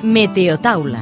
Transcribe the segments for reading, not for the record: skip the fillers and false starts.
Meteotaula.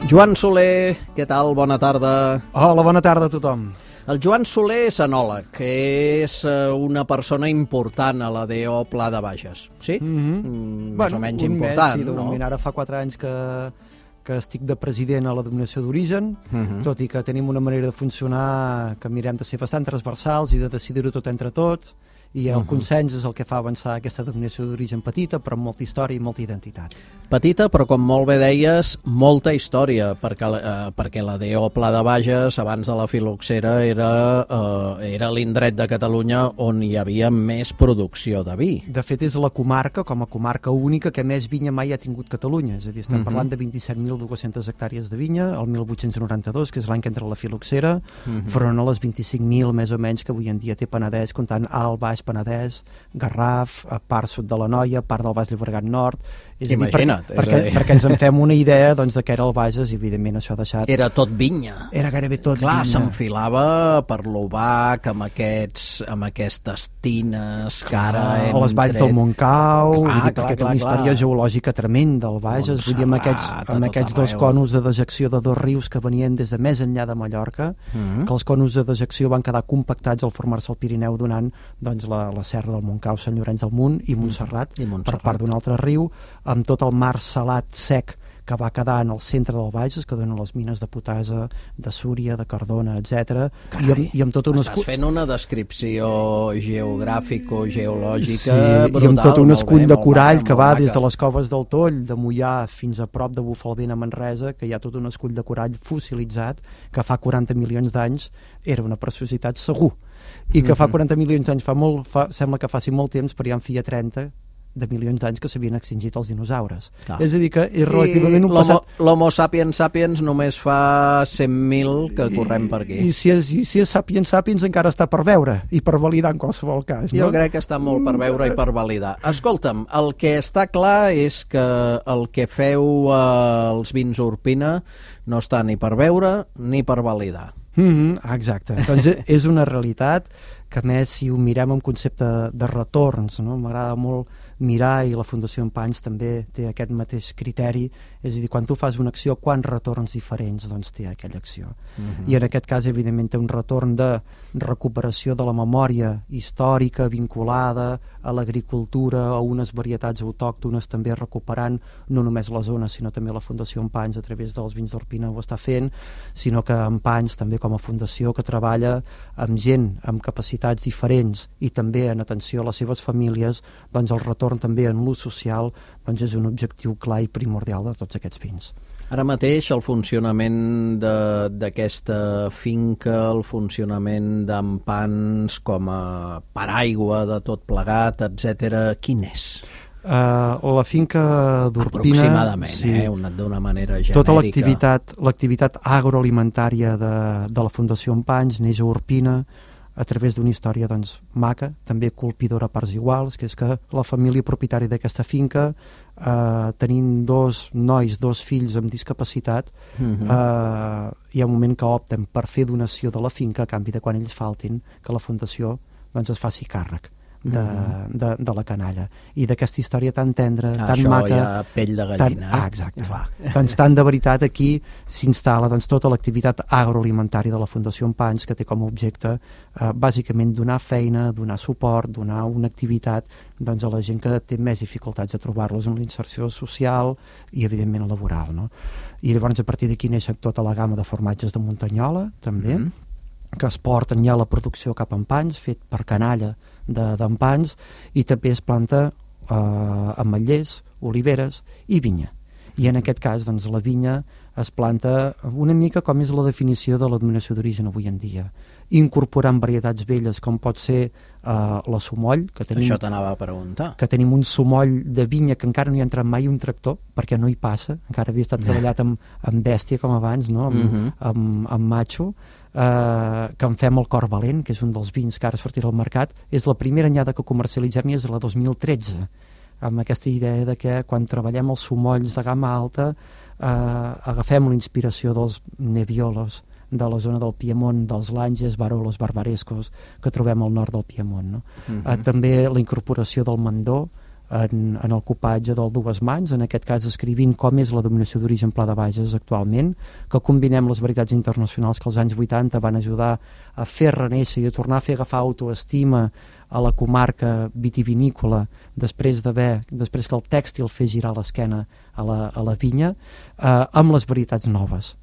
Joan Soler, què tal? Bona tarda. Hola, bona tarda a tothom. El Joan Soler és enòleg, és una persona important a la DO Pla de Bages, sí? Més o menys important, no? Ara fa 4 anys que estic de president a la denominació d'origen, tot i que tenim una manera de funcionar que mirem de ser bastant transversals i de decidir-ho tot entre tots, i el consens és el que fa avançar aquesta denominació d'origen petita, però amb molta història i molta identitat. Petita, però com molt bé deies, molta història, perquè la DO Pla de Bages, abans de la filoxera, era l'indret de Catalunya on hi havia més producció de vi. De fet, és la comarca, com a comarca única, que més vinya mai ha tingut Catalunya. És a dir, estem parlant de 27.200 hectàrees de vinya, el 1892, que és l'any que entra la filoxera, front a les 25.000, més o menys, que avui en dia té Penedès, comptant Alt, Baix, Penedès, Garraf, part sud de l'Anoia, part del Baix Llobregat Nord. Imagina't. Perquè ens en fem una idea de què era el Bages, i evidentment això ha deixat... Era tot vinya. Era gairebé tot vinya. Clar, vinya. S'enfilava per l'Obac, amb aquestes tines que ara hem a les valls del Montcau, perquè té una història geològica tremenda del Bages, vull dir, amb aquests dos conus de dejecció de dos rius que venien des de més enllà de Mallorca, que els conus de dejecció van quedar compactats al formar-se al Pirineu, donant doncs, la serra del Montcau, Sant Llorenç del Munt i Montserrat, per part d'un altre riu, amb tot el mar salat sec que va quedar en el centre del Bages, que donen les mines de Potasa, de Súria, de Cardona, etc. I amb tot estàs fent una descripció geogràfico-geològica brutal. I amb tot un escull de corall que va des de les coves del Toll, de Moià, fins a prop de Bufalvent a Manresa, que hi ha tot un escull de corall fossilitzat que fa 40 milions d'anys era una preciositat segur. I que fa 40 milions d'anys sembla que faci molt temps, però ja en feia 30 de milions d'anys que s'havien extingit els dinosaures. És a dir, que és relativament un passat... L'Homo sapiens sapiens només fa 100.000 que correm per aquí. I si és sapiens sapiens encara està per veure i per validar en qualsevol cas. No? Jo crec que està molt per veure i per validar. Escolta'm, el que està clar és que el que feu als vins Urpina no està ni per veure ni per validar. Exacte. Doncs és una realitat que, a més, si ho mirem en concepte de retorns, no? M'agrada molt mirar, i la Fundació Empanys també té aquest mateix criteri, és a dir, quan tu fas una acció, quants retorns diferents doncs, té aquella acció. I en aquest cas, evidentment, té un retorn de recuperació de la memòria històrica vinculada a l'agricultura, a unes varietats autòctones, també recuperant no només la zona, sinó també la Fundació Empanys a través dels vins d'Urpina ho està fent, sinó que Empanys també com a fundació que treballa amb gent amb capacitats diferents i també en atenció a les seves famílies, doncs el retorn també en l'ús social doncs és un objectiu clar i primordial de tots aquests vins. Ara mateix el funcionament d'aquesta finca, el funcionament d'Empans com a paraigua de tot plegat, etc., quin és? La finca d'Urpina... Aproximadament, sí, d'una manera genèrica. Tota l'activitat agroalimentària de la Fundació Empanys neix a Urpina a través d'una història doncs, maca, també colpidora a parts iguals, que és que la família propietària d'aquesta finca, tenint dos fills amb discapacitat, hi ha un moment que opten per fer donació de la finca a canvi de quan ells faltin, que la Fundació doncs, es faci càrrec de la canalla. I d'aquesta història tan tendra, tan maca... Això ja pell de gallina. Exacte. Doncs tant de veritat aquí s'instal·la doncs, tota l'activitat agroalimentària de la Fundació Empanys, que té com a objecte bàsicament donar feina, donar suport, donar una activitat doncs, a la gent que té més dificultats de trobar-los en l'inserció social i evidentment laboral. No? I llavors a partir d'aquí neix tota la gamma de formatges de Muntanyola, també, que es porten ja a la producció cap a Empanys, fet per canalla d'Empanys, i també es planta ametllers, oliveres i vinya. I en aquest cas doncs, la vinya es planta una mica com és la definició de la denominació d'origen avui en dia, incorporant varietats velles com pot ser la sumoll, que tenim, això t'anava a preguntar, que tenim un sumoll de vinya que encara no hi ha entrat mai un tractor perquè no hi passa, encara havia estat treballat amb bèstia com abans, no? amb matxo, que en fem el Cor Valent, que és un dels vins que ara sortirà al mercat. És la primera anyada que comercialitzem i és la 2013, amb aquesta idea de que quan treballem els sumolls de gamma alta agafem la inspiració dels Nebbiolos de la zona del Piemont, dels Langes, Barolos, Barbarescos, que trobem al nord del Piemont. No? També la incorporació del Mandó, en el copatge del Dues Mans, en aquest cas escrivint com és la denominació d'origen Pla de Bages actualment, que combinem les veritats internacionals que als anys 80 van ajudar a fer reneixer i a tornar a fer agafar autoestima a la comarca vitivinícola després que el tèxtil fes girar l'esquena a la vinya, amb les veritats noves,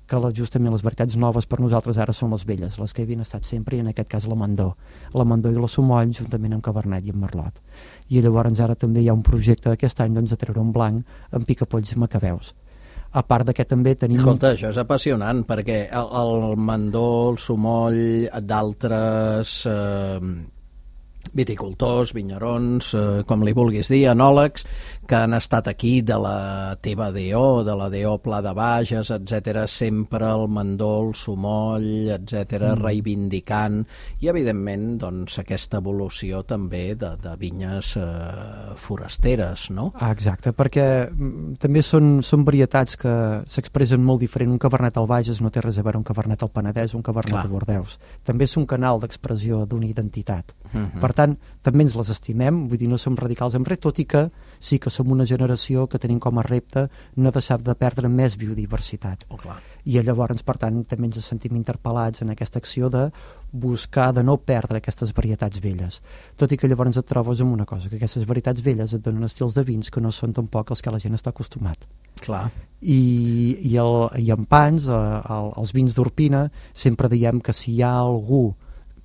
que justament les veritats noves per nosaltres ara són les velles, les que havien estat sempre, i en aquest cas la Mandó i la Somoll juntament amb Cabernet i amb Merlot. I llavors ara també hi ha un projecte aquest any de treure un blanc amb picapolls i macabeus. A part d'aquest també tenim... Escolta, això és apassionant, perquè el Mandó, el Somoll, d'altres viticultors, vinyarons, com li vulguis dir, enòlegs, que han estat aquí de la teva DO, de la DO Pla de Bages, etc, sempre el Mandó, el Somoll, etc, reivindicant, i evidentment doncs, aquesta evolució també de vinyes forasteres, no? Exacte, perquè també són varietats que s'expressen molt diferent. Un Cabernet al Bages no té res a veure un Cabernet al Penedès o un Cabernet a Bordeus. També és un canal d'expressió d'una identitat. Per tant, també ens les estimem, vull dir, no som radicals en res, tot i que sí que som una generació que tenim com a repte no deixar de perdre més biodiversitat. I llavors, per tant, també ens sentim interpel·lats en aquesta acció de buscar de no perdre aquestes varietats velles. Tot i que llavors et trobes amb una cosa, que aquestes varietats velles et donen estils de vins que no són tampoc els que la gent està acostumat. Clar. I en Pans, els vins d'Orpina, sempre diem que si hi ha algú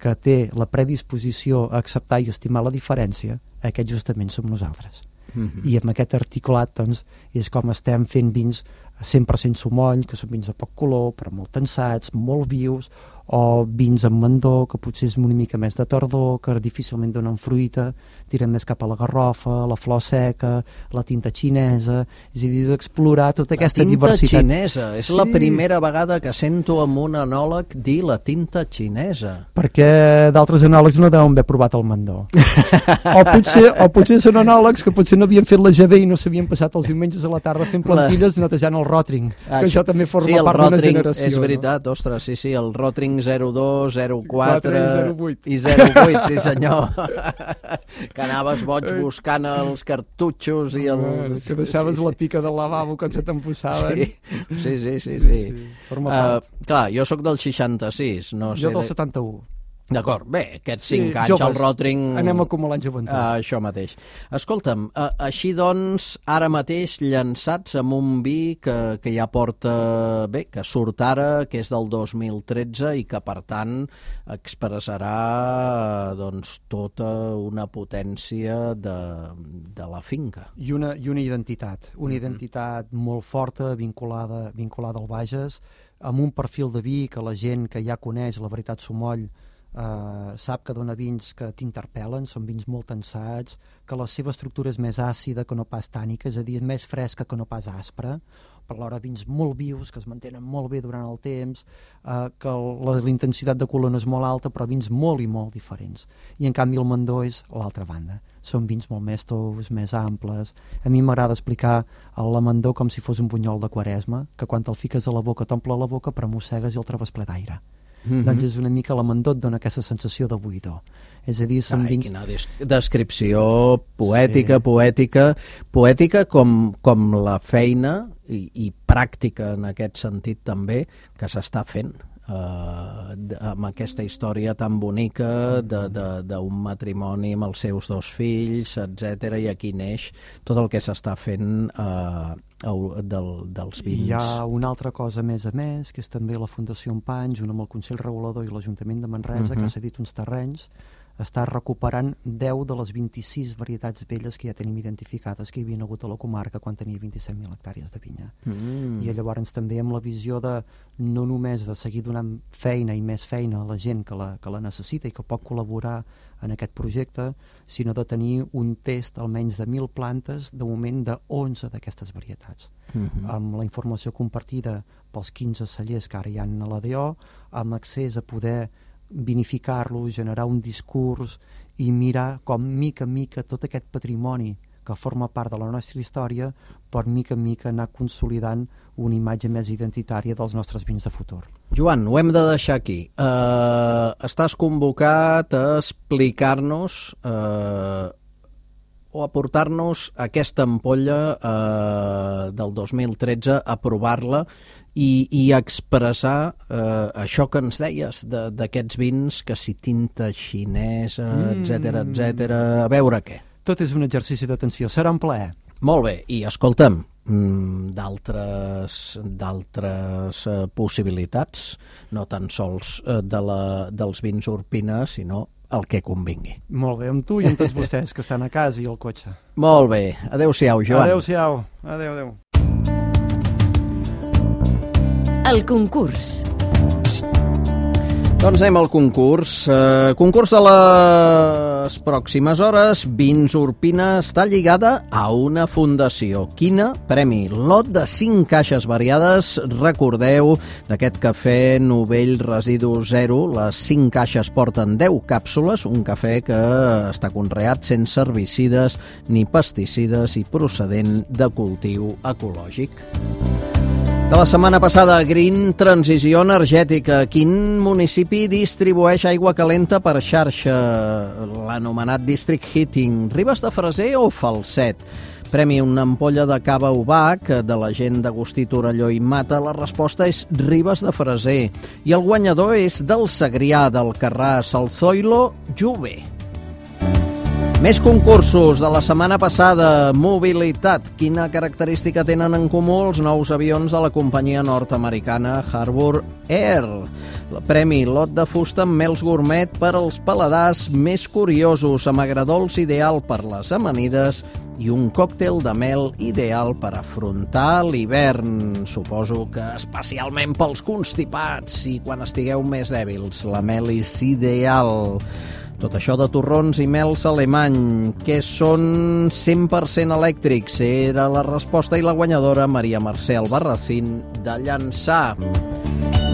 que té la predisposició a acceptar i estimar la diferència, aquest justament som nosaltres. I amb aquest articulat doncs, és com estem fent vins 100% Somoll, que són vins de poc color, però molt tensats, molt vius, o vins amb Mandó, que potser és una mica més de tardor, que difícilment donen fruita, tiren més cap a la garrofa, la flor seca, la tinta xinesa, és a dir, explorar tota aquesta diversitat. La tinta xinesa, és la primera vegada que sento amb un enòleg dir la tinta xinesa. Perquè d'altres enòlegs no deuen haver provat el Mandó. o potser són enòlegs que potser no havien fet la GB i no s'havien passat els diumenges a la tarda fent plantilles netejant el Rotring, que això també forma part d'una generació. És veritat, no? Ostres, sí, el Rotring 02, 04 i 08, sí senyor. Que anaves boig buscant els cartutxos i els... Que deixaves la pica del lavabo quan se t'empussaven. Sí. Clar, jo sóc del 66, no sé... Jo del 71. D'acord, bé, aquests 5 anys joves, el Rotring... Anem acumulant joventut. Això mateix. Escolta'm, així doncs, ara mateix llançats amb un vi que ja porta... Bé, que surt ara, que és del 2013 i que, per tant, expressarà doncs, tota una potència de la finca. I una identitat. Una identitat molt forta, vinculada al Bages, amb un perfil de vi que la gent que ja coneix la veritat Somoll sap que dona vins que t'interpel·len, són vins molt tensats, que la seva estructura és més àcida que no pas tànica, és a dir, més fresca que no pas aspra, per l'hora vins molt vius, que es mantenen molt bé durant el temps, que la intensitat de color no és molt alta, però vins molt i molt diferents. I en canvi el Mandó és l'altra banda. Són vins molt més tous, més amples. A mi m'agrada explicar el Mandó com si fos un bunyol de Quaresma, que quan te'l fiques a la boca t'omple la boca, però mossegues i el trobes ple d'aire. Doncs és una mica la Mandó et dona aquesta sensació de buidor. És a dir, són vins... Quina descripció poètica, poètica com la feina i pràctica en aquest sentit també que s'està fent amb aquesta història tan bonica d'un matrimoni amb els seus 2 fills, etc. I aquí neix tot el que s'està fent dels vins. Hi ha una altra cosa més a més, que és també la Fundació Empany, junt amb el Consell Regulador i l'Ajuntament de Manresa, que ha cedit uns terrenys, està recuperant 10 de les 26 varietats velles que ja tenim identificades que hi havia hagut a la comarca quan tenia 27.000 hectàrees de vinya. I llavors també amb la visió de no només de seguir donant feina i més feina a la gent que la necessita i que pot col·laborar en aquest projecte, sinó de tenir un test almenys de 1.000 plantes, de moment de 11 d'aquestes varietats. Amb la informació compartida pels 15 cellers que ara hi ha a la DO, amb accés a poder vinificar-lo, generar un discurs i mirar com mica en mica tot aquest patrimoni que forma part de la nostra història per mica en mica anar consolidant una imatge més identitària dels nostres vins de futur. Joan, ho hem de deixar aquí. Estàs convocat a explicar-nos o aportar-nos aquesta ampolla del 2013, a provar-la i expressar això que ens deies d'aquests vins, que si tinta xinesa, etc. A veure què. Tot és un exercici d'atenció, serà un plaer. Molt bé, i escolta'm, d'altres possibilitats, no tan sols dels vins Urpina, sinó el que convingui. Molt bé, amb tu i amb tots vostès que estan a casa i al cotxe. Molt bé, adeu-siau, Joan. Adeu-siau, adeu. El concurs. Doncs anem al concurs. Concurs de les pròximes hores. Vins Urpina està lligada a una fundació. Quina? Premi lot de 5 caixes variades. Recordeu, d'aquest cafè Novell Residu Zero, les 5 caixes porten 10 càpsules, un cafè que està conreat sense herbicides ni pesticides i procedent de cultiu ecològic. De la setmana passada, Green, transició energètica. Quin municipi distribueix aigua calenta per xarxa? L'anomenat District Heating. Ribes de Freser o Falset? Premi una ampolla de cava Ubac de la gent d'Agustí Torelló i Mata. La resposta és Ribes de Freser. I el guanyador és del Segrià, del Carràs, el Zoilo Juve. Més concursos de la setmana passada. Mobilitat. Quina característica tenen en comú els nous avions de la companyia nord-americana Harbour Air? El premi lot de fusta amb mels gourmet per als paladars més curiosos, amb agradols ideal per les amanides i un còctel de mel ideal per afrontar l'hivern. Suposo que especialment pels constipats i quan estigueu més dèbils. La mel és ideal. Tot això de torrons i mels alemany, que són 100% elèctrics. Era la resposta i la guanyadora Maria Mercè Albarracín de Llançà.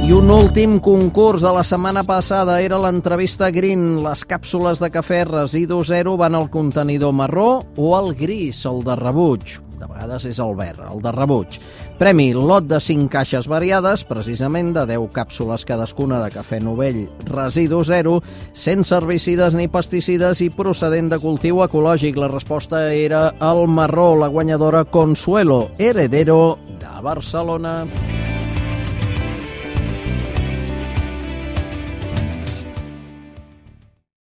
I un últim concurs de la setmana passada era l'entrevista Green. Les càpsules de cafè Residu Zero van al contenidor marró o al gris, el de rebuig. De vegades és el verd, el de rebuig. Premi lot de 5 caixes variades, precisament de 10 càpsules cadascuna de cafè Novell Residu Zero, sense herbicides ni pesticides i procedent de cultiu ecològic. La resposta era el marró, la guanyadora Consuelo Heredero de Barcelona.